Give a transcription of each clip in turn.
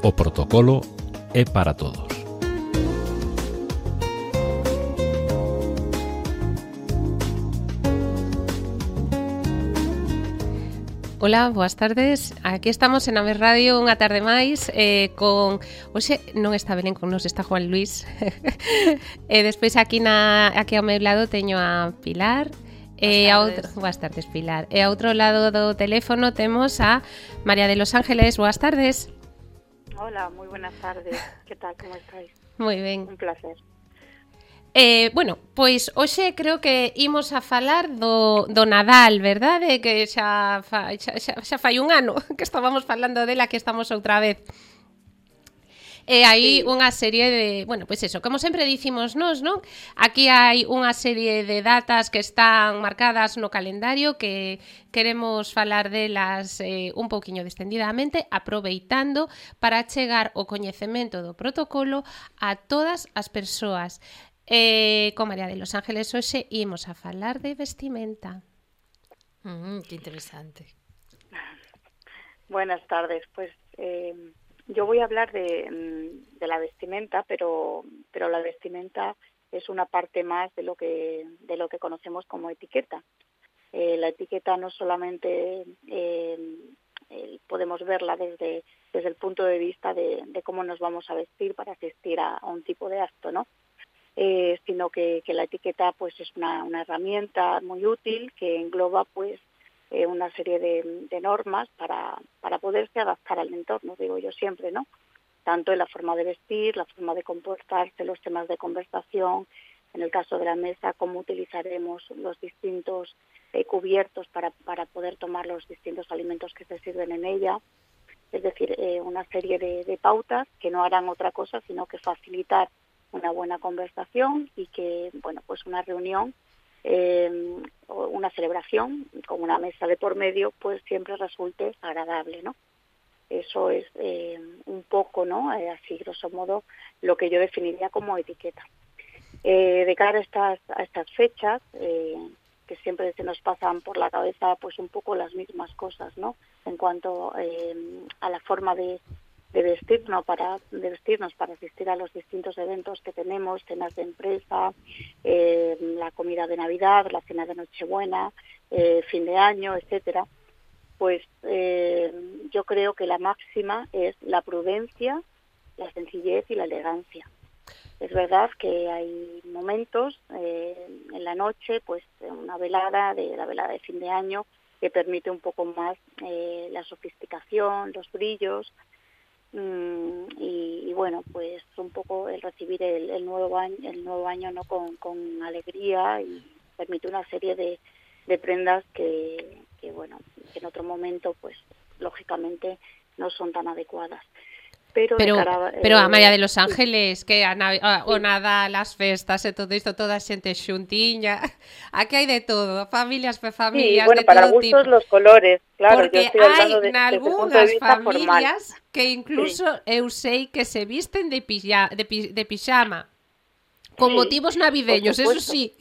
O protocolo é para todos. Ola, boas tardes. Aquí estamos en Ames Radio unha tarde máis con... Oxe, non está Belén con nos, está Juan Luis. Despois aquí ao meu lado teño a Pilar. Boas tardes, Pilar. E ao outro lado do teléfono temos a María de los Ángeles. Boas tardes. Hola, moi buenas tardes. Que tal, como estáis? Moi ben. Un placer. Bueno, pois hoxe creo que imos a falar do Nadal, verdade? Que xa fai un ano que estábamos falando dela, que estamos outra vez. E hai unha serie de... Bueno, pois eso, como sempre dicimos nós, non? Aquí hai unha serie de datas que están marcadas no calendario que queremos falar delas un pouquiño distendidamente, aproveitando para chegar o coñecemento do protocolo a todas as persoas. Con María de los Ángeles hoxe imos a falar de vestimenta. Que interesante. Buenas tardes. Pues yo voy a hablar de la vestimenta, pero la vestimenta es una parte más de lo que conocemos como etiqueta. La etiqueta no solamente podemos verla desde el punto de vista de cómo nos vamos a vestir para asistir a un tipo de acto, ¿no? Sino que la etiqueta pues es una herramienta muy útil que engloba pues una serie de normas para poderse adaptar al entorno, digo yo siempre, ¿no? Tanto en la forma de vestir, la forma de comportarse, los temas de conversación, en el caso de la mesa, cómo utilizaremos los distintos cubiertos para poder tomar los distintos alimentos que se sirven en ella. Es decir, una serie de pautas que no harán otra cosa sino que facilitar una buena conversación y que, bueno, pues una reunión o una celebración con una mesa de por medio, pues siempre resulte agradable, ¿no? Eso es un poco, ¿no? Así, grosso modo, lo que yo definiría como etiqueta. De cara a estas fechas, que siempre se nos pasan por la cabeza, pues un poco las mismas cosas, ¿no? En cuanto a la forma de vestirnos para asistir a los distintos eventos que tenemos, cenas de empresa, la comida de Navidad, la cena de Nochebuena, fin de año, etcétera. Pues yo creo que la máxima es la prudencia, la sencillez y la elegancia. Es verdad que hay momentos en la noche, pues la velada de fin de año, que permite un poco más la sofisticación, los brillos, y bueno, pues un poco el recibir el nuevo año no con alegría, y permite una serie de prendas que bueno, que en otro momento pues lógicamente no son tan adecuadas. Pero a María de los Ángeles, que o Nadal, as festas e todo isto, toda a xente xuntiña, aquí hai de todo, familias, familias, bueno, de para todo gustos tipo. los colores, claro. Porque yo estoy hablando hai nalgúnas familias formal, que incluso eu sei que se visten de pijama, con motivos navideños, eso sí.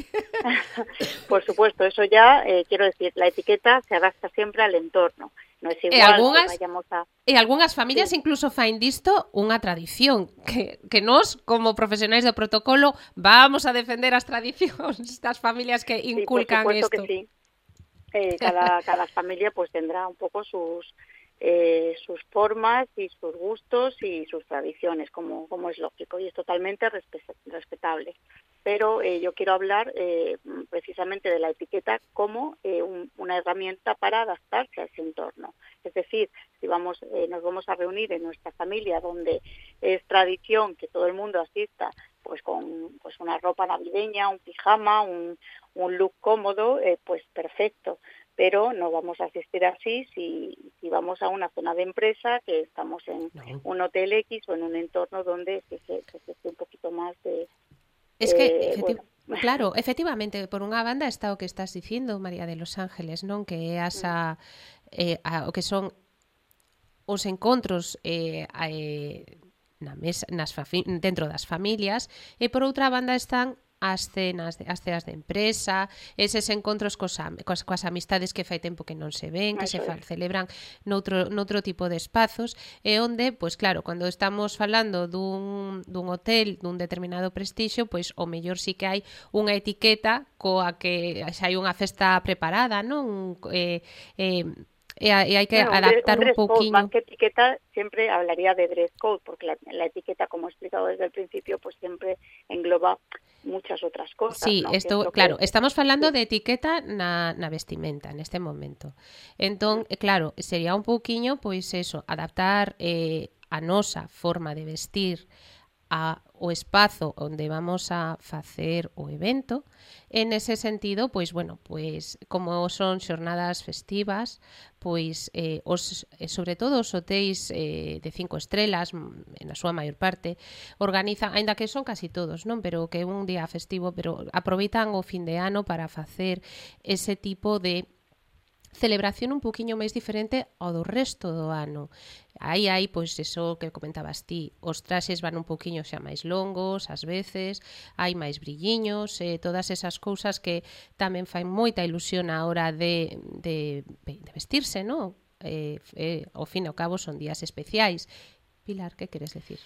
Por supuesto, eso ya, quiero decir, la etiqueta se adapta siempre al entorno. No es igual que vayamos a... E algunhas familias incluso fain disto unha tradición, que nós, como profesionais do protocolo, vamos a defender as tradicións das familias que inculcan isto. Por supuesto que sí. Cada familia pues tendrá un poco sus formas y sus gustos y sus tradiciones, como es lógico, y es totalmente respetable. Pero yo quiero hablar precisamente de la etiqueta como una herramienta para adaptarse a ese entorno. Es decir, si nos vamos a reunir en nuestra familia, donde es tradición que todo el mundo asista pues con pues una ropa navideña, un pijama, un look cómodo, pues perfecto. Pero no vamos a asistir así si vamos a una zona de empresa, que estamos en un hotel X o en un entorno donde se esté un poquito más de... Es que, claro, efectivamente, por unha banda está o que estás dicindo, María de los Ángeles, non? Que é o que son os encontros na mesa, dentro das familias, e por outra banda están as cenas, as ceas de empresa, eses encontros coas amistades que fai tempo que non se ven, que celebran noutro tipo de espazos, e onde, pois claro, cando estamos falando dun hotel dun determinado prestixio, pois o mellor sí que hai unha etiqueta coa que xa hai unha festa preparada, non? E hai que adaptar un pouquiño. Más que etiqueta, siempre hablaría de dress code, porque la etiqueta, como he explicado desde el principio, pues siempre engloba muchas outras cosas. Sí, ¿no? esto, claro, estamos falando de etiqueta na vestimenta neste momento. Entón, claro, sería un pouquiño, pois eso, adaptar a nosa forma de vestir o espazo onde vamos a facer o evento. En ese sentido, pois, bueno, pois, como son xornadas festivas, pois, sobre todo os hotéis de 5 estrelas, na súa maior parte, organizan, aínda que son casi todos, non? Pero que é un día festivo, pero aproveitan o fin de ano para facer ese tipo de celebración un poquinho máis diferente ao do resto do ano. Aí hai, pois, eso que comentabas ti, os traxes van un poquinho xa máis longos, ás veces, hai máis brilliños, todas esas cousas que tamén fai moita ilusión á hora de vestirse, non? Ao fin e ao cabo son días especiais. Pilar, que queres decir?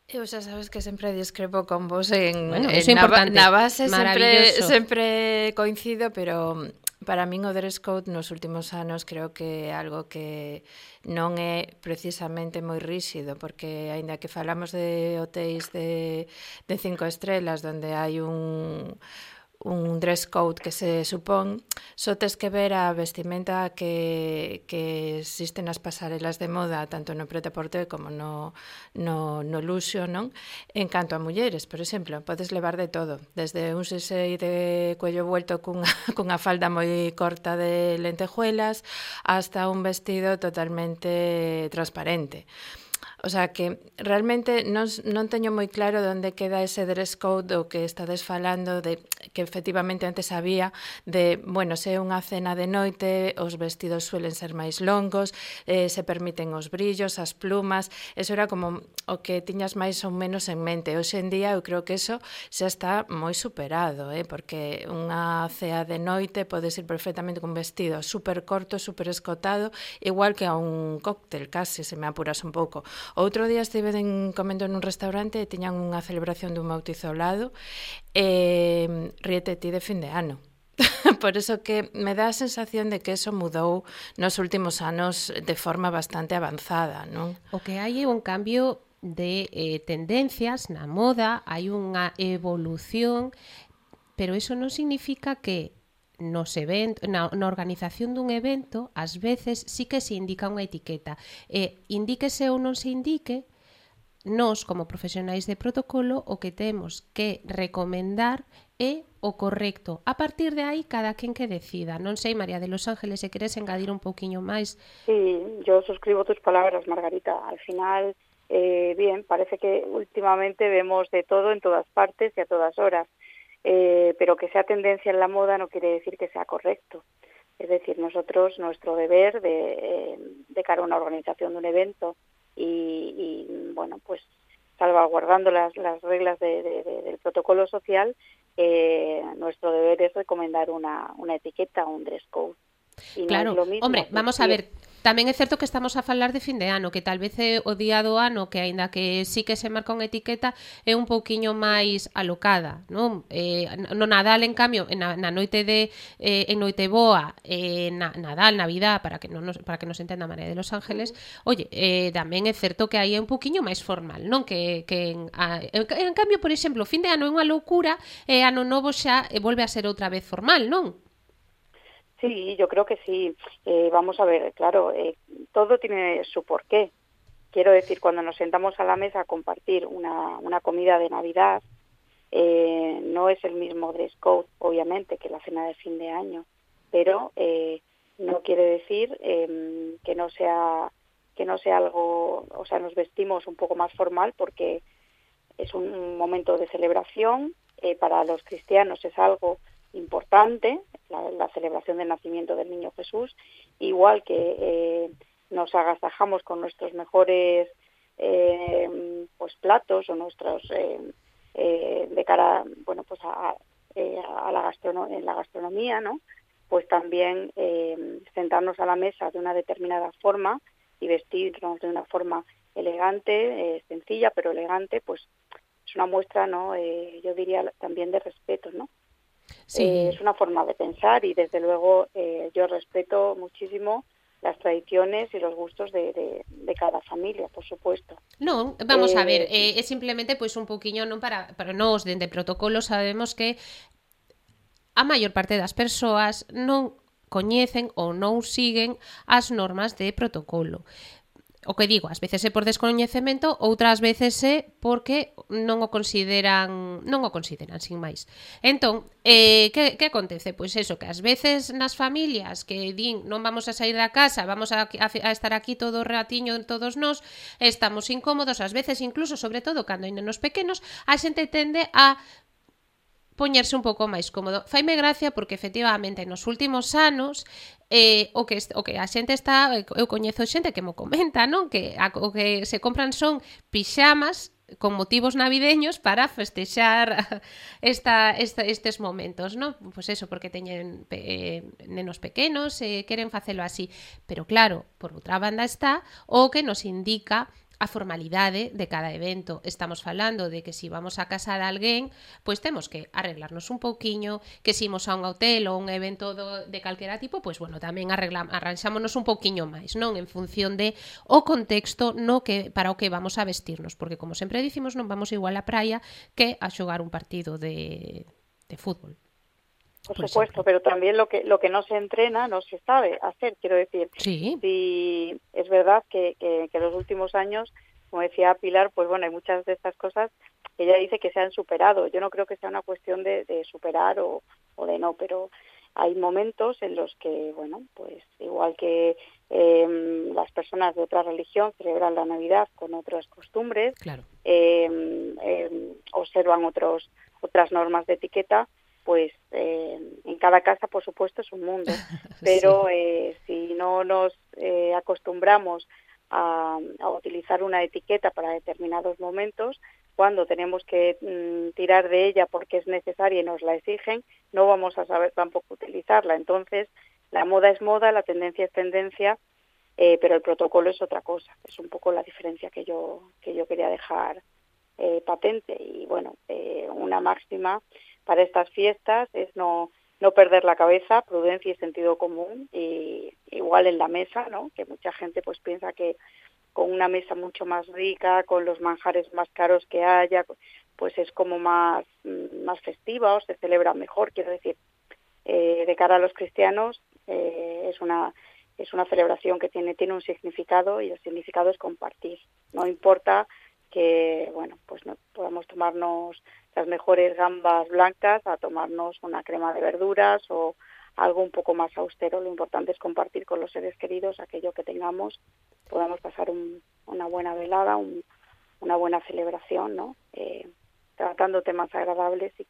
Eu xa sabes que sempre discrepo con vos na base, sempre coincido, pero para min o dress code nos últimos anos creo que é algo que non é precisamente moi ríxido, porque aínda que falamos de hotéis de 5 estrelas onde hai un dress code que se supón, só tes que ver a vestimenta que existe nas pasarelas de moda, tanto no prêt-à-porter como no luxo, non? En canto a mulleres, por exemplo, podes levar de todo, desde un xesei de cuello vuelto cunha falda moi corta de lentejuelas hasta un vestido totalmente transparente. O sea que realmente non teño moi claro onde queda ese dress code do que estades falando, de que efectivamente antes había, de, bueno, se é unha cena de noite, os vestidos suelen ser máis longos, se permiten os brillos, as plumas, eso era como o que tiñas máis ou menos en mente. Hoxe en día eu creo que eso xa está moi superado, porque unha cea de noite podes ir perfectamente con vestido super corto, super escotado, igual que a un cóctel, case, se me apuras un pouco. Outro día estive comendo nun restaurante e tiñan unha celebración dun bautizo ao lado e ríete ti de fin de ano. Por eso que me dá a sensación de que eso mudou nos últimos anos de forma bastante avanzada, non? O que hai é un cambio de tendencias na moda, hai unha evolución, pero eso non significa que nos eventos, na organización dun evento, ás veces sí que se indica unha etiqueta. Indíquese ou non se indique, nós, como profesionais de protocolo, o que temos que recomendar é o correcto. A partir de aí, cada quen que decida. Non sei, María de los Ángeles, se queres engadir un pouquiño máis. Sí, yo suscribo tus palabras, Margarita. Al final, bien, parece que últimamente vemos de todo en todas partes y a todas horas. Pero que sea tendencia en la moda no quiere decir que sea correcto. Es decir, nosotros, nuestro deber de cara a una organización de un evento y bueno, pues salvaguardando las reglas del protocolo social, nuestro deber es recomendar una etiqueta, un dress code. Y claro, no es lo mismo, hombre, vamos a ver, tamén é certo que estamos a falar de fin de ano, que tal vez é o día do ano que aínda que sí que se marca unha etiqueta é un pouquiño máis alocada, non? No Nadal, en cambio, na noite en Noiteboa, Nadal, Navidad, para que nos entenda María de los Ángeles, oye, tamén é certo que aí é un pouquiño máis formal, non? Que en cambio, por exemplo, fin de ano é unha loucura e ano novo xa volve a ser outra vez formal, non? Sí, yo creo que sí. Vamos a ver, claro, todo tiene su porqué. Quiero decir, cuando nos sentamos a la mesa a compartir una comida de Navidad, no es el mismo dress code, obviamente, que la cena de fin de año, pero no quiere decir que no sea algo, o sea, nos vestimos un poco más formal porque es un momento de celebración. Para los cristianos es algo importante, la celebración del nacimiento del niño Jesús, igual que nos agasajamos con nuestros mejores pues platos o nuestros de cara, bueno, pues en la gastronomía, ¿no? Pues también sentarnos a la mesa de una determinada forma y vestirnos de una forma elegante, sencilla pero elegante, pues es una muestra, ¿no? Yo diría también de respeto, ¿no? Sí. Es una forma de pensar y desde luego yo respeto muchísimo las tradiciones y los gustos de cada familia, por supuesto. Non, vamos a ver, é simplemente pois un pouquiño non para nós dende protocolo sabemos que a maior parte das persoas non coñecen ou non siguen as normas de protocolo. O que digo, ás veces é por descoñecemento, outras veces é porque non o consideran sin máis. Entón, que acontece? Pois eso, que ás veces nas familias que din non vamos a sair da casa, vamos a estar aquí todo o ratiño todos nós, estamos incómodos, ás veces incluso, sobre todo cando hai nenos pequenos, a xente tende a poñerse un pouco máis cómodo. Faime gracia porque efectivamente nos últimos anos o que a xente está, eu coñezo xente que mo comenta, non? Que o que se compran son pixamas con motivos navideños para festexar estes momentos, non? Pois eso, porque teñen nenos pequenos e queren facelo así. Pero claro, por outra banda está o que nos indica a formalidade de cada evento. Estamos falando de que se vamos a casa de alguén, pois temos que arreglarnos un pouquiño, que se imos a un hotel ou un evento de calquera tipo, pois bueno, tamén arranxámonos un pouquiño máis, non? En función de o contexto para o que vamos a vestirnos, porque como sempre dicimos, non vamos igual á praia que a xogar un partido de fútbol. Por supuesto, pero también lo que no se entrena no se sabe hacer. Quiero decir, sí, es verdad que en los últimos años, como decía Pilar, pues bueno, hay muchas de estas cosas que ella dice que se han superado. Yo no creo que sea una cuestión de superar o de no, pero hay momentos en los que, bueno, pues igual que las personas de otra religión celebran la Navidad con otras costumbres, claro. Observan otras normas de etiqueta, pues en cada casa, por supuesto, es un mundo, pero si no nos acostumbramos a utilizar una etiqueta para determinados momentos, cuando tenemos que tirar de ella porque es necesaria y nos la exigen, no vamos a saber tampoco utilizarla. Entonces, la moda es moda, la tendencia es tendencia, pero el protocolo es otra cosa. Es un poco la diferencia que yo quería dejar patente. Y bueno, una máxima para estas fiestas es no perder la cabeza, prudencia y sentido común, y igual en la mesa, ¿no? Que mucha gente pues piensa que con una mesa mucho más rica, con los manjares más caros que haya, pues es como más festiva o se celebra mejor. Quiero decir, de cara a los cristianos es una celebración que tiene un significado, y el significado es compartir. No importa que, bueno, pues no podamos tomarnos las mejores gambas blancas a tomarnos una crema de verduras o algo un poco más austero. Lo importante es compartir con los seres queridos aquello que tengamos, podamos pasar una buena velada, una buena celebración, ¿no? Tratando temas agradables y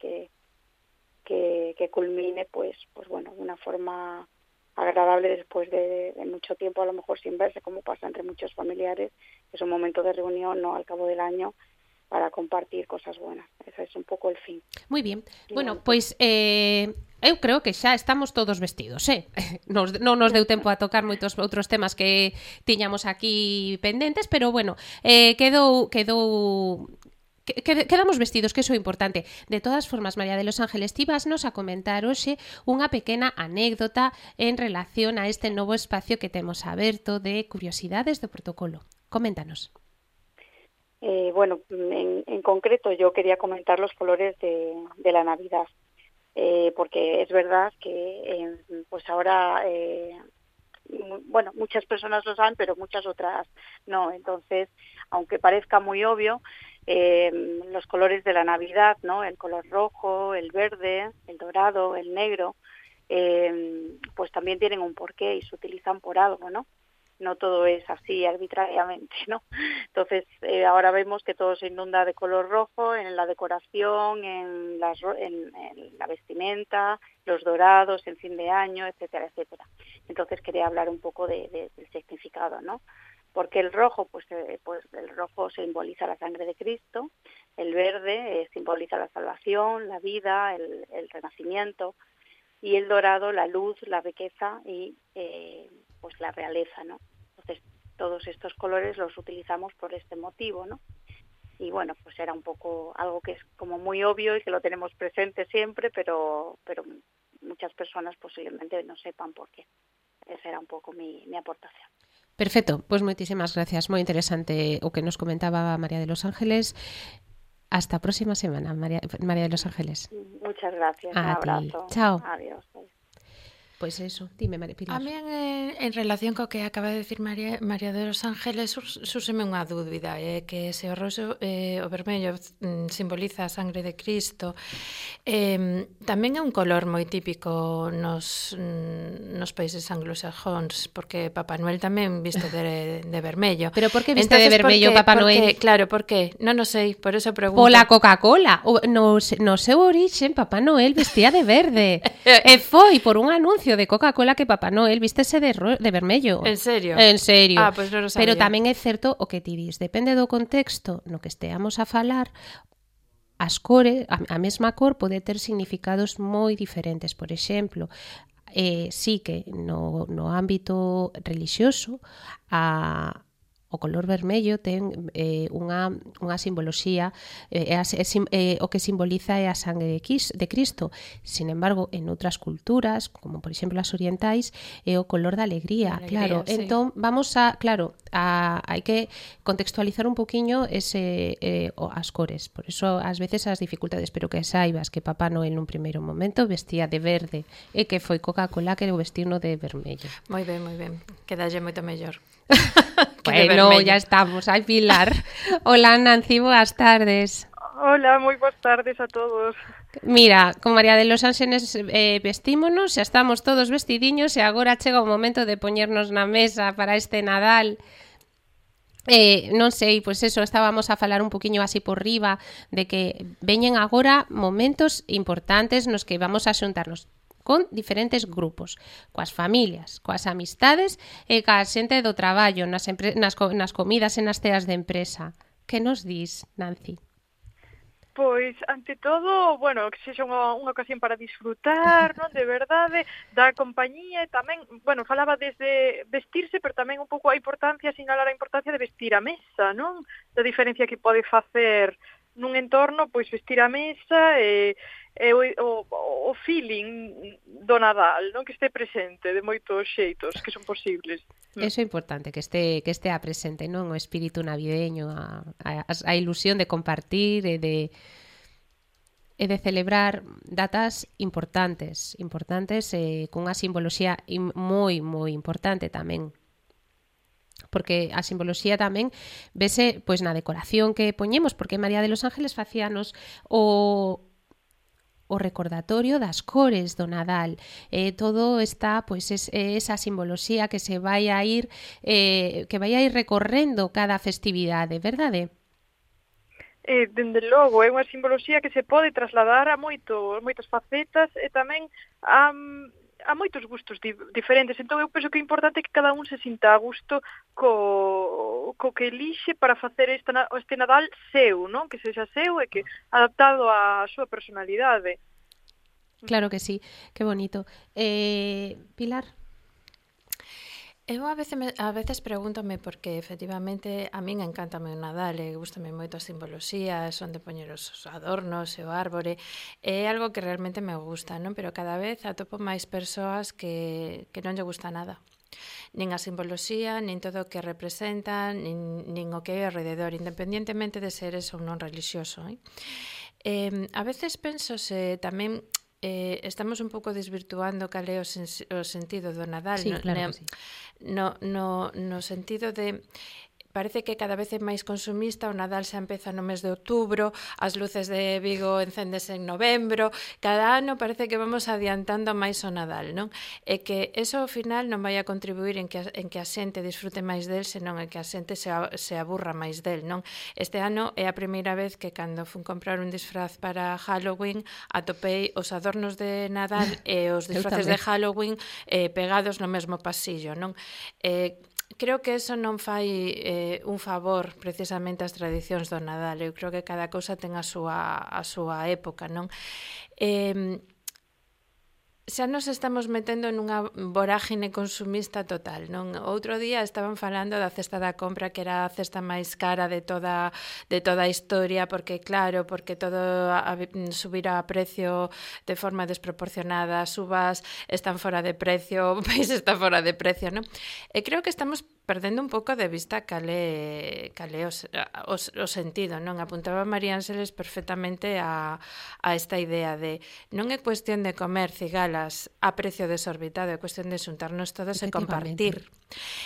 que culmine, pues bueno, de una forma agradable después de mucho tiempo, a lo mejor sin verse, como pasa entre muchos familiares. Es un momento de reunión, ¿no?, al cabo del año, para compartir cosas buenas. Ese es un pouco el fin. Moi bien. Bueno, pois eu creo que xa estamos todos vestidos, non nos deu tempo a tocar moitos outros temas que tiñamos aquí pendentes, pero bueno, quedamos vestidos, que iso é importante. De todas formas, María de los Ángeles, ti vasnos a comentar hoxe unha pequena anécdota en relación a este novo espacio que temos aberto de curiosidades do protocolo. Coméntanos. Bueno, en concreto yo quería comentar los colores de la Navidad, porque es verdad que pues ahora, bueno, muchas personas lo saben, pero muchas otras no. Entonces, aunque parezca muy obvio, los colores de la Navidad, ¿no?, el color rojo, el verde, el dorado, el negro, pues también tienen un porqué y se utilizan por algo, ¿no? No todo es así arbitrariamente, ¿no? Entonces, ahora vemos que todo se inunda de color rojo en la decoración, en la vestimenta, los dorados, en fin de año, etcétera, etcétera. Entonces, quería hablar un poco del significado, ¿no? Porque el rojo, pues el rojo simboliza la sangre de Cristo, el verde simboliza la salvación, la vida, el renacimiento, y el dorado la luz, la riqueza y pues la realeza, ¿no? Entonces todos estos colores los utilizamos por este motivo, ¿no? Y bueno, pues era un poco algo que es como muy obvio y que lo tenemos presente siempre, pero muchas personas posiblemente no sepan por qué. Esa era un pouco mi aportación. Perfecto, pois moitísimas gracias, moi interesante o que nos comentaba María de los Ángeles. Hasta a próxima semana, María de los Ángeles. Muchas gracias, un abrazo. Chao. Adiós. Pois eso, dime, María Pilar. A mí en relación co que acaba de decir María de los Ángeles súseme unha dúbida, que se o roxo, o vermello simboliza a sangre de Cristo, tamén é un color moi típico nos países anglosajóns, porque Papá Noel tamén viste de vermello. Pero por que viste de vermello Papá Noel? Claro, por que? Non o sei, por eso pregunto. Pola Coca-Cola. No seu origen, Papá Noel vestía de verde. E foi por un anuncio de Coca-Cola que Papá Noel vístese de vermello. En serio? En serio. Ah, pois non o sabía. Pero tamén é certo o que ti dis, depende do contexto no que esteamos a falar, as cores, a mesma cor pode ter significados moi diferentes. Por exemplo, sí que no ámbito religioso o color vermello ten unha simboloxía, o que simboliza é a sangre de Cristo. Sin embargo, en outras culturas, como por exemplo as orientais, é o color da alegría, claro. Sí. Entón, hai que contextualizar un poquinho as cores. Por eso, ás veces, as dificultades, pero que saibas que Papá Noel nun primeiro momento vestía de verde e que foi Coca-Cola que o vestiu no de vermello. Moi ben, moi ben. Quedalle moito mellor. Bueno, ya estamos. Ay, Pilar. Hola, Nancy, boas tardes. Hola, moi boas tardes a todos. Mira, con María de los Ángeles vestímonos, xa estamos todos vestidiños e agora chega o momento de poñernos na mesa para este Nadal. Non sei, pois eso, estábamos a falar un poquinho así por riba de que veñen agora momentos importantes nos que vamos a xuntarnos con diferentes grupos, coas familias, coas amistades e coa xente do traballo, nas comidas e nas ceas de empresa. Que nos dis, Nancy? Pois, ante todo, bueno, que sexa unha ocasión para disfrutar, non, de verdade, da compañía e tamén, bueno, falaba desde vestirse, pero tamén un pouco a importancia, sinalar a importancia de vestir a mesa, non? Da diferencia que pode facer nun entorno, pois vestir a mesa e o feeling do Nadal, non, que este presente de moitos xeitos que son posibles. Eso é importante, que estea presente, non, o espírito navideño, a ilusión de compartir e de celebrar datas importantes cunha simboloxía moi importante tamén. Porque a simboloxía tamén vese pois na decoración que poñemos, porque María de los Ángeles facíanos o recordatorio das cores do Nadal. Todo está, pois, esa simboloxía que se vai a ir recorrendo cada festividade, verdade? Dende logo, é unha simboloxía que se pode trasladar a moitas facetas e tamén a moitos gustos diferentes. Entón, eu penso que é importante que cada un se sinta a gusto co que elixe para facer este Nadal seu, non? Que sexa seu e que adaptado á súa personalidade. Claro que sí, que bonito. Pilar? Eu a veces pregúntome porque efectivamente a min encántame o Nadal e gustame moito a simboloxía, son de poñer os adornos e o árbore, é algo que realmente me gusta, non? Pero cada vez atopo máis persoas que non lle gusta nada. Nin a simboloxía, nin todo o que representa, nin o que é alrededor, independientemente de seres ou non religioso. A veces penso se tamén estamos un pouco desvirtuando cal é o sentido do Nadal. Sí, claro que sí. No sentido de parece que cada vez é máis consumista, o Nadal xa empeza no mes de outubro, as luces de Vigo encéndese en novembro, cada ano parece que vamos adiantando máis o Nadal, non? E que eso ao final non vai a contribuir en que a xente disfrute máis del, senón en que a xente se aburra máis del, non? Este ano é a primeira vez que cando fun comprar un disfraz para Halloween atopei os adornos de Nadal e os disfraces de Halloween pegados no mesmo pasillo, non? creo que eso non fai un favor precisamente ás tradicións do Nadal. Eu creo que cada cousa ten a súa época, non? Xa nos estamos metendo nunha vorágine consumista total, non? Outro día estaban falando da cesta da compra, que era a cesta máis cara de toda a historia, porque claro, porque todo subirá a precio de forma desproporcionada, as uvas están fora de precio, o país está fora de precio, non? E creo que estamos perdendo un pouco de vista cal é o sentido, non? Apuntaba María Ángeles perfectamente a esta idea de non é cuestión de comer cigalas a precio desorbitado, é cuestión de xuntarnos todos e compartir.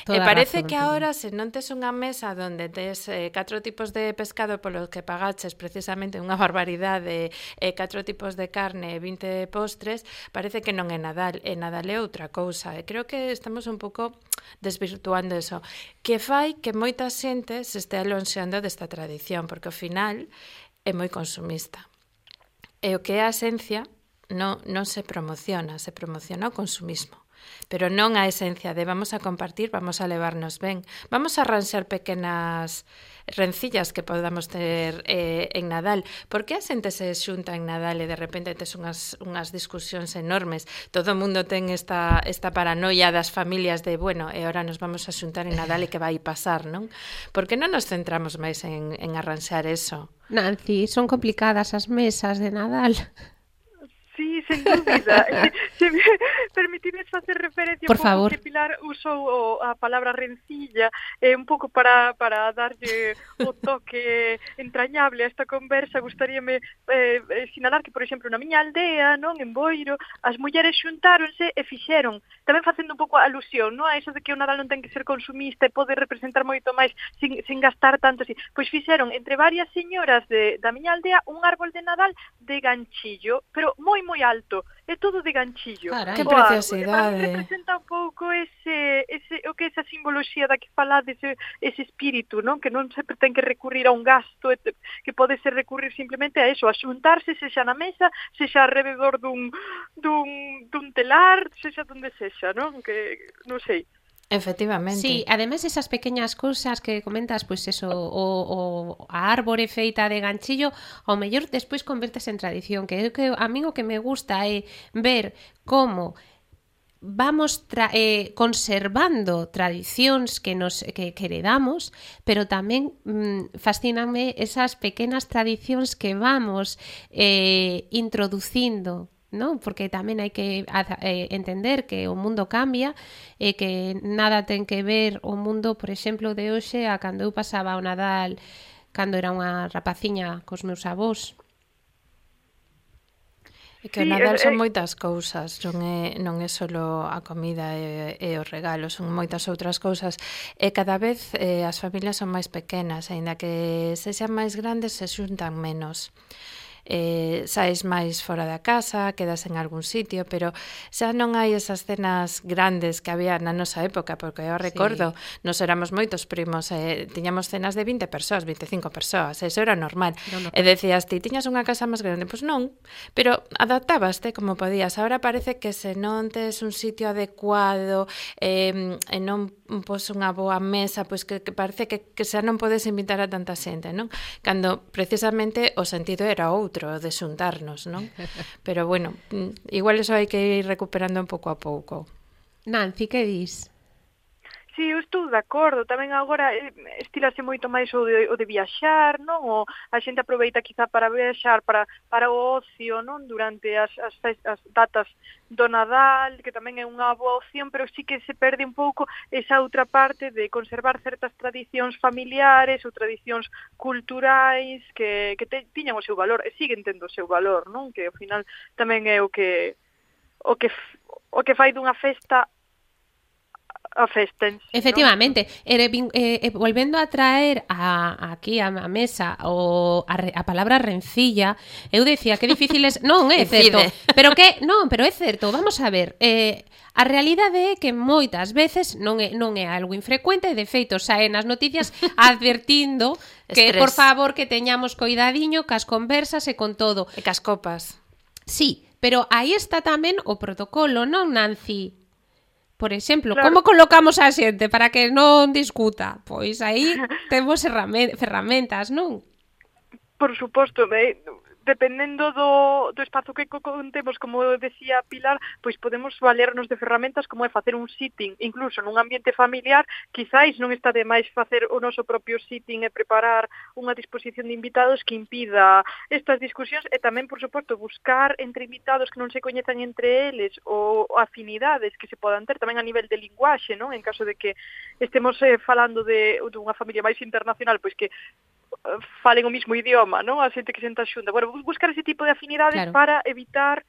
E parece que agora, se non tes unha mesa onde tes 4 tipos de pescado polos que pagaches precisamente unha barbaridade, 4 tipos de carne e 20 postres, parece que non é Nadal, e Nadal é outra cousa. E creo que estamos un pouco desvirtuando eso, que fai que moita xente se estea lonxeando desta tradición, porque ao final é moi consumista. E o que é a esencia non se promociona o consumismo. Pero non a esencia de vamos a compartir, vamos a levarnos ben. Vamos a arranxar pequenas rencillas que podamos ter en Nadal. Por que a xente se xunta en Nadal e de repente tes unhas discusións enormes? Todo o mundo ten esta paranoia das familias de, bueno, e ahora nos vamos a xuntar en Nadal e que vai pasar, non? Por que non nos centramos máis en arranxar eso? Nancy, son complicadas as mesas de Nadal. Sí, sen dúbida. Se me permitides facer referencia por un pouco favor. que Pilar usou a palabra rencilla un pouco para darlle o toque entrañable a esta conversa, gustaríame sinalar que, por exemplo, na miña aldea, non, en Boiro, as mulleres xuntáronse e fixeron, tamén facendo un pouco alusión, non, a eso de que o Nadal non ten que ser consumista e pode representar moito máis sin gastar tanto así. Pois fixeron entre varias señoras da miña aldea un árbol de Nadal de ganchillo, pero moi alto, é todo de ganchillo. Carai, que preciosidade. Representa un pouco o que esa simboloxía da que falades, ese espírito, non? Que non sempre ten que recurrir a un gasto, que pode ser recurrir simplemente a eso, a xuntarse, sexa na mesa, sexa alrededor dun telar, sexa donde sexa, non? Que non sei. Efectivamente. Sí, ademais esas pequeñas cousas que comentas, pois eso, a árbore feita de ganchillo, ao mellor despois convertes en tradición, que a mí o que me gusta é ver como vamos conservando tradicións que heredamos, pero tamén fascíname esas pequenas tradicións que vamos introducindo, non? Porque tamén hai que entender que o mundo cambia e que nada ten que ver o mundo, por exemplo, de hoxe a cando eu pasaba o Nadal cando era unha rapaciña cos meus avós. E que o Nadal son moitas cousas, non é só a comida e os regalos, son moitas outras cousas, e cada vez as familias son máis pequenas, aínda que sexan máis grandes se xuntan menos. Saes máis fora da casa, quedas en algún sitio, pero xa non hai esas cenas grandes que había na nosa época, porque eu recordo, nos éramos moitos primos, tiñamos cenas de 20 persoas, 25 persoas, eso era normal. E decías, ti tiñas unha casa máis grande? Pois non, pero adaptabaste como podías. Ahora parece que se non tes un sitio adecuado e non pos unha boa mesa, pois que parece que xa non podes invitar a tanta xente, non? Cando precisamente o sentido era outro, de xuntarnos, non? Pero bueno, igual eso hai que ir recuperando un pouco a pouco. Nancy, que dis? Sí, eu estou de acordo. Tamén agora estilase moito máis o de viaxar, non? O a xente aproveita quizá para viaxar, para o ocio, non? Durante as datas do Nadal, que tamén é unha boa opción, pero sí que se perde un pouco esa outra parte de conservar certas tradicións familiares ou tradicións culturais que tiñan o seu valor e siguen tendo o seu valor, non? Que ao final tamén é o que fai dunha festa a festens. Efectivamente, ¿no? Volvendo a traer aquí a mesa a palabra rencilla, eu decía que difícil é, non é certo, pero é certo, vamos a ver, a realidade é que moitas veces non é algo infrecuente, de feito saen nas noticias advertindo que por favor que teñamos coidadiño cas conversas e con todo. E cas copas. Sí, pero aí está tamén o protocolo, non, Nancy? Por exemplo, Claro. como colocamos a xente para que non discuta? Pois aí temos ferramentas, non? Por suposto, dependendo do espazo que contemos, como decía Pilar, pois podemos valernos de ferramentas como é facer un sitting, incluso nun ambiente familiar, quizáis non está de máis facer o noso propio sitting e preparar unha disposición de invitados que impida estas discusións e tamén, por suposto, buscar entre invitados que non se coñezan entre eles ou afinidades que se podan ter tamén a nivel de linguaxe, non? En caso de que estemos falando de unha familia máis internacional, pois que falen o mismo idioma, non? A xente que senta xunta. Bueno, buscar ese tipo de afinidades Claro. para evitar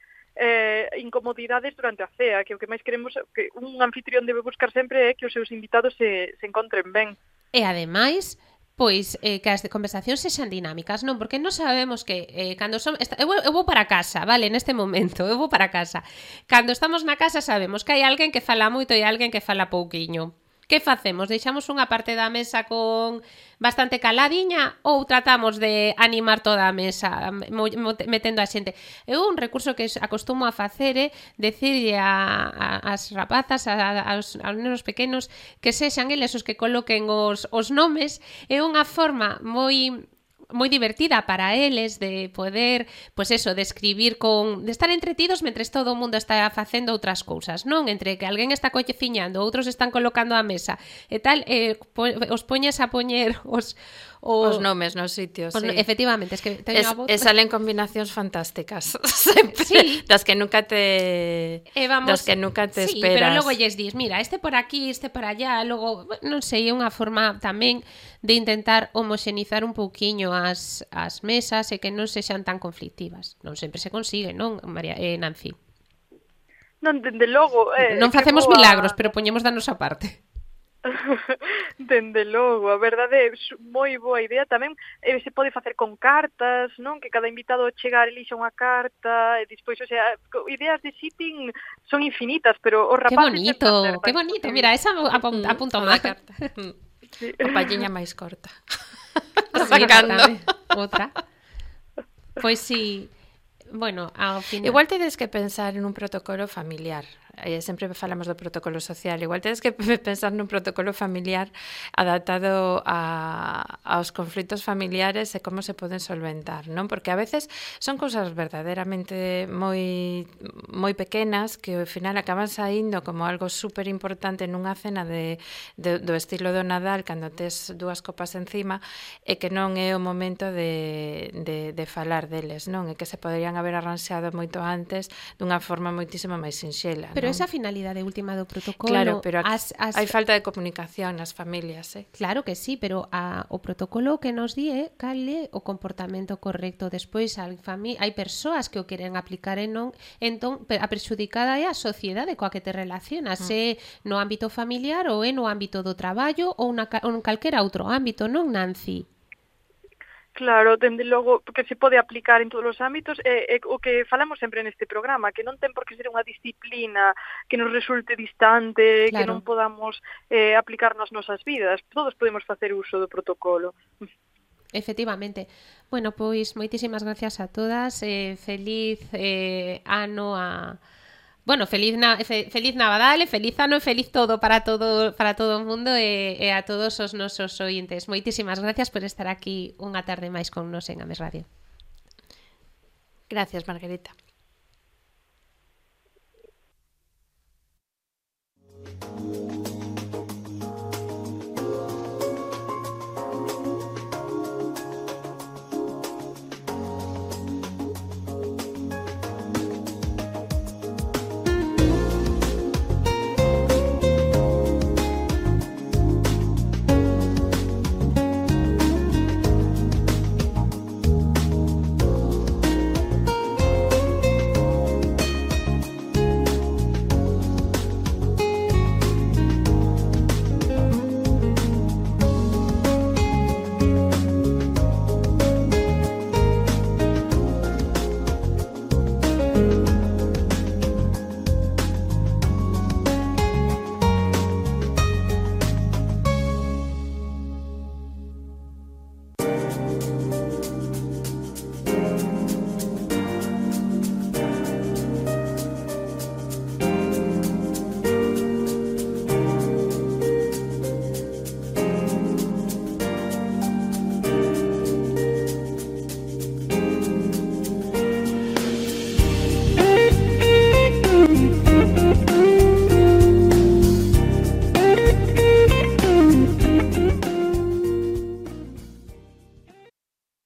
incomodidades durante a cea, que o que máis queremos, que un anfitrión debe buscar sempre é que os seus invitados se encontren ben. E ademais, pois que as conversacións sexan dinámicas, non? Porque non sabemos que cando son eu vou para casa, vale, neste momento, eu vou para casa. Cando estamos na casa sabemos que hai alguén que fala moito e alguén que fala pouquiño. Que facemos? Deixamos unha parte da mesa con bastante caladiña ou tratamos de animar toda a mesa metendo a xente? Eu un recurso que acostumo a facer é decirlle as rapazas, aos nenos pequenos, que sexan eles os que coloquen os nomes. É unha forma moi divertida para eles de poder, pois eso, de escribir de estar entretidos mentres todo o mundo está facendo outras cousas, non? Entre que alguén está cociñando, outros están colocando a mesa e tal, os poñes a poñer os nomes nos sitios, sí. Efectivamente, es que teño a voz... salen combinacións fantásticas sempre, sí. das que nunca te esperas. Sí, pero logo lles dis, mira, este por aquí, este por allá, logo, non sei, é unha forma tamén de intentar homoxenizar un pouquiño as mesas e que non sexan tan conflictivas. Non sempre se consigue, non, María, Nancy? Non, dende logo... non facemos milagros, pero poñemos da nosa parte. Dende logo, a verdade é moi boa idea. Tamén se pode facer con cartas, non? Que cada invitado chegar elixa unha carta e despois, o sea, ideas de sitting son infinitas, pero os rapaces... Que bonito, mira, esa apunto máis. Sí. O palliña máis corta. Sacando outra. Pois sí. Bueno, ao final... Igual tedes que pensar en un protocolo familiar. Sempre falamos do protocolo social. Igual tedes que pensar nun protocolo familiar adaptado aos conflitos familiares e como se poden solventar, non? Porque a veces son cousas verdadeiramente moi pequenas que ao final acaban saindo como algo super importante nunha cena do estilo do Nadal, cando tes 2 copas encima, e que non é o momento de falar deles, non? E que se poderían haber arranxado moito antes dunha forma moitísimo máis sinxela. Pero esa finalidade última do protocolo... Claro, pero hai falta de comunicación nas familias, Claro que sí, pero o protocolo que nos di cal é o comportamento correcto. Despois hai persoas que o queren aplicar e non, entón a perxudicada é a sociedade coa que te relacionas, é no ámbito familiar ou é no ámbito do traballo ou en calquera outro ámbito, non, Nancy? Claro, dende logo, porque se pode aplicar en todos os ámbitos, o que falamos sempre neste programa, que non ten por que ser unha disciplina que nos resulte distante, claro, que non podamos aplicar nas nosas vidas. Todos podemos facer uso do protocolo. Efectivamente. Bueno, pois moitísimas gracias a todas. Feliz ano a... Bueno, feliz Nadal, feliz ano e feliz todo para todo o mundo e a todos os nosos ointes. Moitísimas gracias por estar aquí unha tarde máis con nos en Ames Radio. Gracias, Margarita.